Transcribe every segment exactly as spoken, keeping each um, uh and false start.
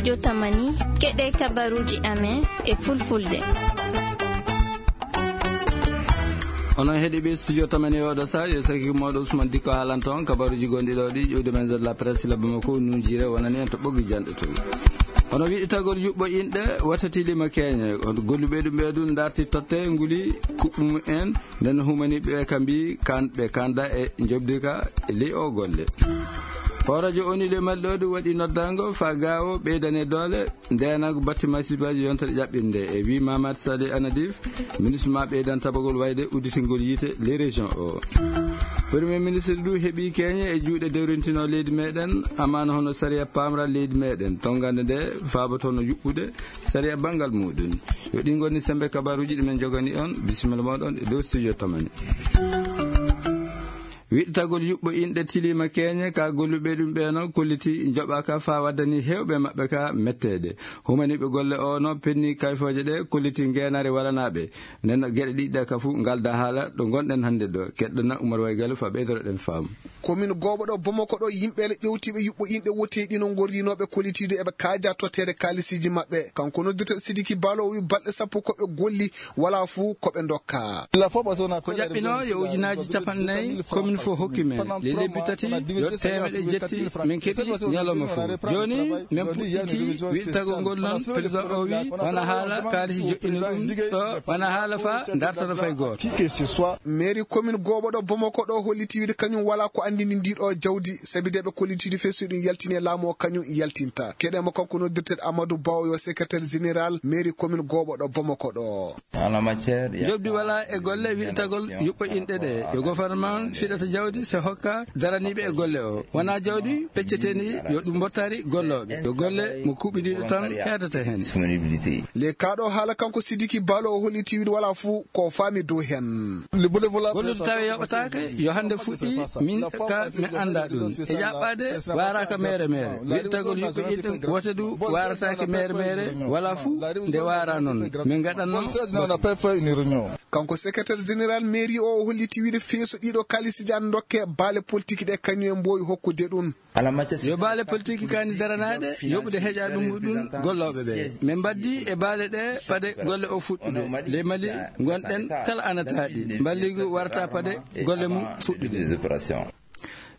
Yo tamani, keɗee kabaruuji amen e fulfulde. Onon heɗiiɓe studio tamani e oɗo saa, yo saki mooɗo Usman Dikko haalanta on kabaruuji gonɗi ɗo ɗi, ƴuwde men de la presse labbo makko nunjiire wonani en to ɓoggi janɗe to. Hono wiɗitagol yuɓɓo inɗe, wata tilima keeñe, on golluɓe ɗum ɓe ɗum ndarti totte nguli kuɓɓu mum en, nden humaniiɓe ka mbii kan ɓe kanda e njoɓdi ka e ley o golle. Hooreejo O N U ley Mali ɗo ɗum waɗi noddaango faa gaawo ɓeydane doole ndeenango batti masibaaji yontere ƴaɓɓinde e wii Mamad Salih Anadif, ministre ma ɓeydan tabagol wayde udditingol yiite ley région o. Premier ministre du heɓi keeñe e juuɗe dewrintinoo leydi meɗen, amaana hono sariya paamra leydi meɗen, tongande nde faabotono yuɓɓude sariya banngal muɗum. Yo ɗi ngoni sembe kabaruuji ɗi men jogani on, bisimilla mooɗon e dow studio tamani. Wiɗtagol yuɓɓo inɗe tiliima keeñe ka golluɓe ɗum ɓeeno kolliti njoɓaaka faa waddani heewɓe maɓɓe ka metteede. Humaniiɓe golle o no penni kayfooje ɗe kolliti ngeenaare walanaaɓe. Nden no geɗe ɗiɗi ɗe ka fuu ngalda haala ɗo ngonɗen hannde ɗo. Keɗɗana Umar Waygal faa ɓeydoroɗen faamu. Komin gooɓo ɗo Bamako ɗo, yimɓe le ƴewtiiɓe yuɓɓo inɗe woteeɗi no ngorrinooɓe kollitiiɗo eɓe kaaja totteede kaalisiiji maɓɓe. Kanko noddirta Sidiki Baalo o wi balɗe sappo ko ɓe golli walaa fuu ko ɓe ndokka. Ko ƴaɓɓinoo yo ujunaaji capanɗe nayi komin fof hokki men. Ɗi lebbi tati yo teemedde jetti min keɓi ñalawma fof. Jooni min puɗɗiti wiɗtagol ngol noon, président o wi wona haala kaalisi joɗɗini ɗum ɗo, wona haala faa dartana fay gooto. Mairie commune gooɓo ɗo Bamako ɗo holliti wiide kañum walaa ko anndini ndii ɗo jawdi, sabi de ɓe kollitiiɗo fee so ɗum yaltini e laamu o kañum yaltinta. Keɗee mo kanko noddirteeɗo Amadou Ba o yo secrétaire général mairie commune gooɓo ɗo Bamako ɗo. Njoɓdi walaa e golle wiɗtagol yuɓɓo inɗe ɗe. Yo gouvernement fiɗata jawdi se hokka daraniiɓe e golle o. Wonaa jawdi pecceteendi yo ɗum mbottari gollooɓe. Yo golle mo kuuɓidiiɗo tan heedata heen. Ley kaa ɗo haala kanko Sidiki Baalo o holliti wiide walaa fuu ko faami dow heen. Gollude tawi yoɓataake yo hannde fuɗɗi min ka mi annda ɗum. E ƴaɓɓaade waaraaka meere meere. Wiɗtagol yuɓɓo inɗe wote du waarataake meere meere walaa fuu nde waara noon. Min ngaɗanno Kanko secrétaire général mairie o, o holliti wiide fee so ɗiiɗo kaalisiiji an ndokke baale politique ɗe kañum en mboowi hokkude ɗum. Yo baale politique kaani daranaade yoɓude heƴa ɗum ɗum gollooɓe ɓe. Min mbaddi e baale ɗe fade golle o fuɗɗude. Ley Mali ngonɗen kala ana taaɗi. Mballigu warata fade golle mum fuɗɗude.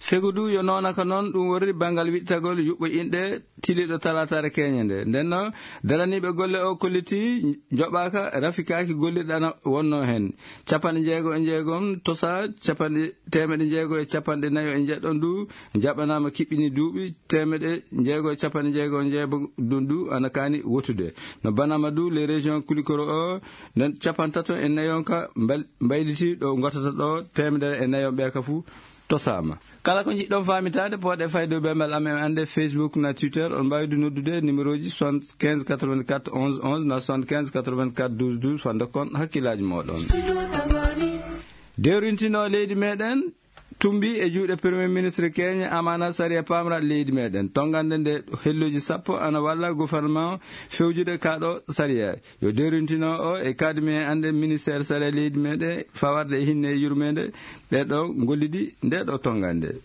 Segu du yo noona ka noon ɗum worri banngal wiɗtagol yuɓɓo inɗe tiliiɗo talaataare keeñe nde. Nden noon, daraniiɓe golle o kolliti njoɓaaka, rafikaaki gollirɗe ana wonnoo heen. Capanɗe jeego e jeegom tosaa, capanɗe, teemeɗe jeego e capanɗe nayo e njeɗɗon du njaɓanaama kiɓɓini duuɓi, teemeɗe jeego e capanɗe jeego e jeegom ɗum du ana kaani wotude. No banaama du, les régions kulikoro o, nden capantato e nayon ka mbal-, mbayliti ɗo ngotata ɗo, teemedere e nayon ɓe ka fuu tosaama. Kala ko njiɗɗon faamitaade, pooɗee fayde dow bembal amen annde Facebook na Twitter. On mbaawi du noddude numéro ji soixante-quinze quatre-vingt-quatre onze onze na soixante-quinze quatre-vingt-quatre douze douze faa ndokkon hakkillaaji mooɗon. Dewrintinoo leydi meɗen tumbi e juuɗe Premier Ministre keeñe amaana sariya paamra leydi meɗen. Tonngande nde helloji sappo ana walla gouvernement fewjude kaa ɗo sariya. Yo dewrintino o e kaadimi e annde ministère sariya leydi meɗen fawarde e hinne e yurmeende ɓee ɗo ngollidi nde ɗo tonngande.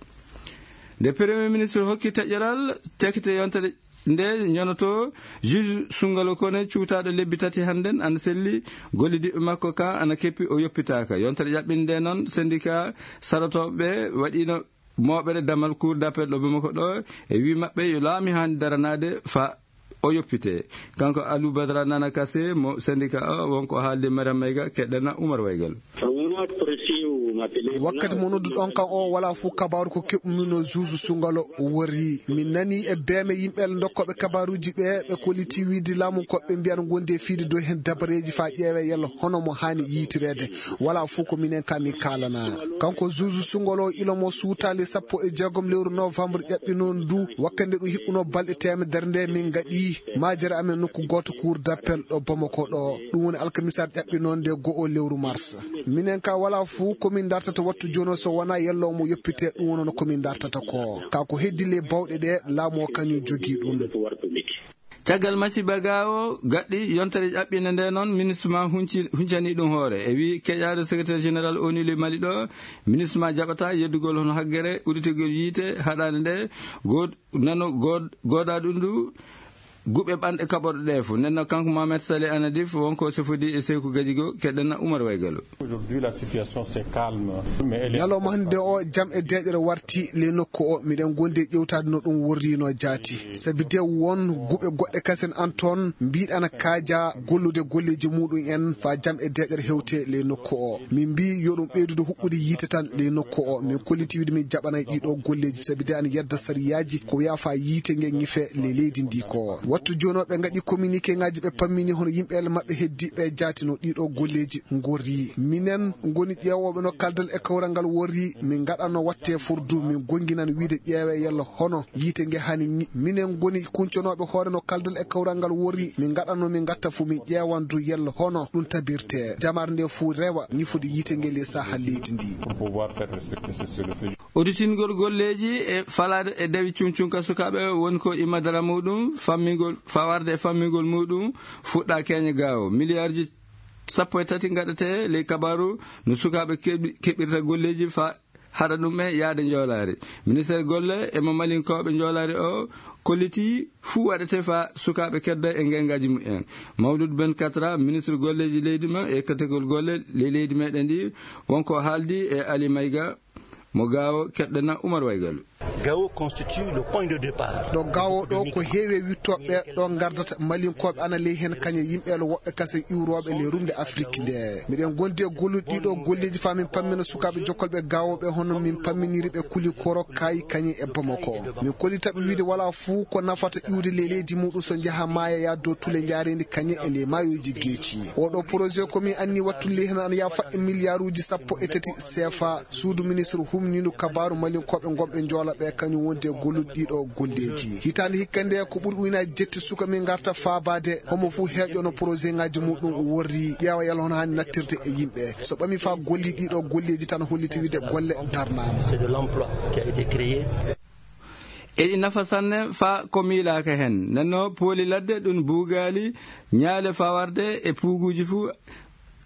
Nde Premier Ministre hokki taƴoral cakite yontere nde ñonoto juge Sungalo Kone cuutaaɗo lebbi tati hannden ana selli gollidiiɓe makko ka ana keppi o yoppitaaka. Yontere ƴaɓɓinde nde noon syndicat saɗotooɓe ɓe waɗiino mooɓere damal cour d'appel ɗo Bamako ɗo e wii maɓɓe yo laamu haani daranaade faa o yoppitee. Kanko Aliou Badara Nana Kassé mo syndicat o wonko haalde Mariam Mayga keɗɗana Oumar Waygal. Wakkati mo nodduɗon kan o, walaa fuu kabaaru ko keɓumi no juge Sungalo worri. Mi nani e beeme yimɓe ndokkooɓe kabaaruuji ɓe, ɓe kolliti wiide laamu ko ɓe mbiyan ngondi e fiide dow heen dabareeji faa ƴeewee yalla hono mo haani yiytireede. Walaa fuu ko minen ka mi kaalana. Kanko juge Sungalo ilo mo suutaali sappo e jeegom lewru novembre ƴaɓɓi noon du, wakkati nde ɗum hiɓɓunoo balɗe teemedere nde min ngaɗi maajere amen nokku gooto cour d'appel ɗo Bamako ɗo. Ɗum woni alkamisaare ƴaɓɓi noon nde go'o lewru mars. Minen ka walaa fuu ko min dartata wattu jooni o so wonaa yalla omo yoppitee, ɗum woni ko min dartata ko. Kaa ko heddi ley bawɗe ɗe, laamu o kañum jogii ɗum. Caggal masiiba gaawo gaɗɗi yontere ƴaɓɓinde nde noon, ministre ma hunci-, huncanii ɗum hoore. E wii keƴaade secrétaire général O N U ley Mali ɗo, ministre ma jaɓataa yeddugol hono haggere udditigol yiite haɗaande nde, good-, nano good-, goodaa ɗum ndu, Guɓe ɓanɗe kaɓorɗe ɗee fof. Nden noon, kanko Mohamed Saleh Anadif, won ko sefodii e Seyku Gajigo, keɗɗen Umar Waygalo. Aujourd'hui, la situation, c'est calme. Mais elle est... Ñalawma hannde o, jam e deeƴere warti ley nokku o. Miɗen ngondi e ƴeewtaade no ɗum worriinoo jaati. Sabi de won guɓe goɗɗe kasen an toon mbiiɗa ana kaaja gollude golleeji muuɗum en faa jam e deeƴere hewte ley nokku o. Min mbii yo ɗum ɓeydude huɓɓude yiite tan ley nokku o. Min kolliti wiide min jaɓanay ɗii ɗoo golleeji, sabi de ana yedda sariyaaji ko wiyaa faa yiite nge ŋife ley leydi ndii ko. Wattu jooni o, ɓe ngaɗi kominikeŋaaji, ɓe pammini hono yimɓe ele maɓɓe heddiiɓe jaati no ɗii ɗoo golleeji ngorri. Minen ngoni ƴeewooɓe no kaldal e kawral ngal worri, min ngaɗanno watte furdu, min gonnginan wiide ƴeewee yalla hono yiite nge hani ŋi-, minen ngoni kunconooɓe hoore no kaldal e kawral ngal worri, min ngaɗanno min ngatta fuu, min ƴeewan du yalla hono ɗum tabirtee. Jamaare nde fuu rewa ŋifude yiite nge ley saaha leydi ndi. Pour pouvoir faire respecter ce, ce refus. Udditingol golleeji e falaade e dawi cuŋcuŋ ka sukaaɓe woni ko immadara muuɗum fammingol, faa warde e fammingol muuɗum fuɗɗaa keeña gaawo. Miliyaarji sappo e tati ngaɗetee ley kabaaru no sukaaɓe keɓi-, keɓirta golleeji faa haɗa ɗum e yaade njoolaari. Ministeer golle e mo malinkooɓe njoolaari o kollitii fuu waɗetee faa sukaaɓe kedda e ngenngaaji mumen. Mawluud Ben Katra, ministre golleeji leydi ma e ekkategol golle ley leydi meɗen ndi, won ko haaldi e Ali Mayga, mo Gaawo, keɗɗen Umar Waygalu. Gao constitue le point de départ. Ɗo Gaawo ɗo ko heewi e wittooɓe ɗo ngardata, malinkooɓe ana ley heen, kañe yimɓe ele woɓɓe kasen iwrooɓe ley rumde Afrik nde. Miɗen ngondi e gollude ɗii ɗoo golleeji faa min pammina sukaaɓe jokkolɓe Gaawo ɓe, hono min pamminiri ɓe Kulikoro, Kaayi, kañe e Bamako. Min kollita ɓe wiide walaa fuu ko nafata iwde ley leydi muuɗum so njaha maaya yaa dow tule njaareendi kañe e ley maayooji geeci. Oo ɗoo projet ko min anni wattude ley heen ana yaha faɗɗi miliyaaruuji sappo e tati seefa. Suudu ministre humniindu kabaaru malinkooɓe ngonɓe Njoola ɓe, kañum wondi e gollude ɗii ɗoo golleeji. Hitaande hikka nde, ko ɓuri ujunnaaji jetti suka min ngarta faabaade, homo fuu heeƴoo no porosegaaji muuɗum worri, ƴeewa yalla hono haani nattirde e yimɓe. So ɓamii faa gollii ɗii ɗoo golleeji tan, holliti wiide golle darnaama. C'est de l'emploi qui a été créé. Eɗi nafa sanne faa ko miilaaka heen. Nden no pooli ladde, ɗum buugaali, ñaale faa warde e puuguuji fuu,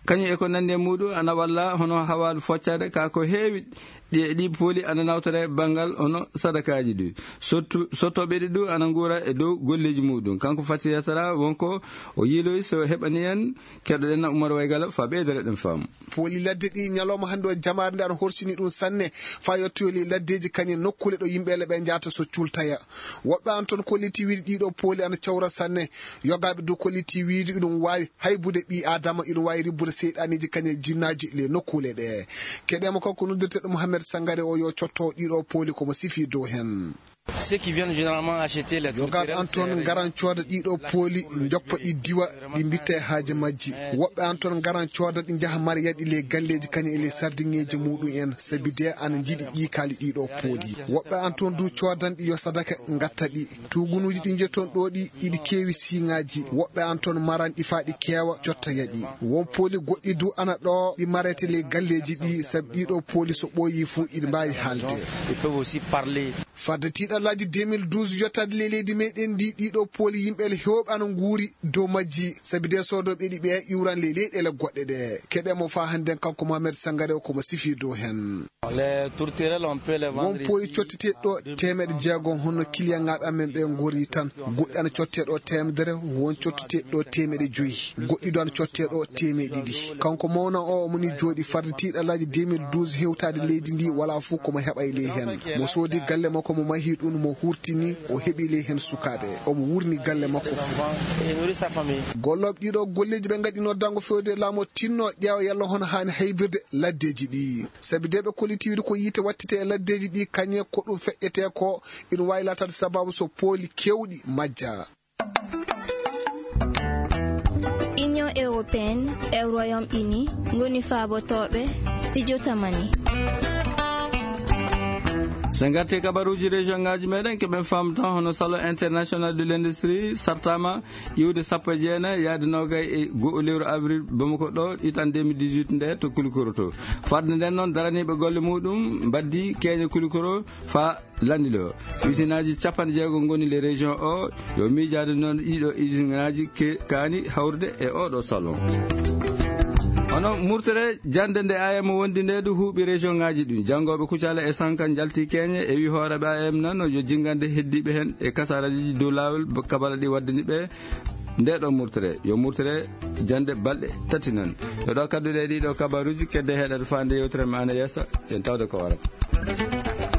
kañum e ko nanndi e muuɗum ana walla hono hawaalu foccaade ka ko heewi. Ɗi, ɗi pooli ana nawtore banngal hono sadakaaji ɗi. Sottu-, sottooɓe ɗi ɗum ana nguura e dow golleeji muuɗum. Kanko Fati Yatara won ko o yiiloyi, so heɓanii en, keɗoɗen Umar Waygala faa ɓeydoro ɗen faamu. Pooli ladde ɗi ñalawma hannde o, jamaare nde ana horsini ɗum sanne faa yottoyoo ley laddeeji kañum nokkuule ɗo yimɓe ele ɓe njahata so cultaya. Woɓɓe an toon kolliti wiide ɗii ɗoo pooli ana cawra sanne. Yogaaɓe du kolliti wiide iɗum waawi haybude ɓii aadama, iɗum waawi ribbude seyɗaaniiji kañum e jinnaaji ley nokkuule ɗe. Keɗee mo kanko noddirteeɗo Mohamed Sangare o, yo cotto ɗii ɗoo pooli ko mo sifii dow heen. Ceux qui viennent généralement acheter les... Yogaaɓe an toon ngaran cooda ɗii ɗoo pooli, njoppa ɗi diwa, ɗi mbitta e haaje majji. Woɓɓe an toon ngaran cooda ɗi, njaha maroya ɗi ley galleeji kañum e ley sardiŋeeji muuɗum en, sabi de ana njiɗi ƴiikaali ɗii ɗoo pooli. Woɓɓe an toon du coodan ɗi yo sadaka, ngatta ɗi. Tuugunuuji ɗi njetton ɗoo ɗi, iɗi keewi siiŋaaji. Woɓɓe an toon maran ɗi faa ɗi keewa, cottaya ɗi. Won pooli goɗɗi du ana ɗoo, ɗi marete ley galleeji ɗi, sabi ɗii ɗoo pooli so ɓooyii fuu, iɗi mbaawi haalde. Ils peuvent aussi parler. Fadde tiiɗallaaji deux mille douze yottaade ley leydi meɗen ndi, ɗii ɗoo pooli yimɓe ele heewɓe ana nguuri dow majji, sabi de soodooɓe ɗi ɓe iwran ley leyɗeele goɗɗe ɗe. Keɗee mo faa hannden, kanko Mohamed Sangare o, ko mo sifii dow heen. Les tourterelles, on peut les vendre ici. Won pooli cotteteeɗi ɗoo teemeɗe jeegom, hono kiliyaŋaaɓe amen ɓe ngori tan. Goɗɗi ana cottee ɗoo teemedere, won cotteteeɗi ɗoo teemeɗe joyi. Goɗɗi du ana cottee ɗoo teemeɗe ɗiɗi. Kanko mawna o, omo nii jooɗii fadde tiiɗallaaji deux mille douze hewtaade leydi ndi, walaa fuu ko mo heɓay ley heen. Mo soodi galle makko, mo mahii ɗum, mo hurtini, o heɓii ley heen sukaaɓe. Omo wuurni galle makko fuu. Gollooɓe ɗii ɗoo golleeji ɓe ngaɗinoo daŋngo fewde e laamu o tinno ƴeewa yalla hono haani haybirde laddeeji ɗi. Sabi de ɓe kolliti wiide ko yiite wattete e laddeeji ɗi, kañe ko ɗum feƴƴetee ko, ina waawi laataade sabaabu so pooli keewɗi majja. Union européenne e Royaume Uni ngoni faabotooɓe Studio Tamani. So en ngartii e kabaruuji région ŋaaji meɗen, keɓen faamu tan hono Salon International de l'Industrie sartaama iwde sappo e jeenay yaade noogay e go'o lewru avril Bamako ɗo, itan deux mille dix-huit nde to Kulikoro to. Fadde nden noon, daraniiɓe golle muuɗum mbaddii keeña Kulikoro faa lanndiloo. Usinaaji capanɗe jeego ngoni le région o, yo miijaade noon ɗiɗo usinaaji ke-, kaani hawrude e oo ɗoo salon. Hono murtere jannde nde A M wondi nde du huuɓi région ŋaaji ɗin. Janngooɓe Kucala e Sanka njalti keeñe e wii hooreeɓe A M nan yo jinngande heddiiɓe heen e kasaaraaji dow laawol kabala ɗi waddani ɓe nde ɗo murtere. Yo murtere jannde balɗe tati nan. Yo ɗo kadduɗe e ɗiɗo kabaruuji kedde heɗaade faande yewtere men ana yeesa. En tawde ko warata.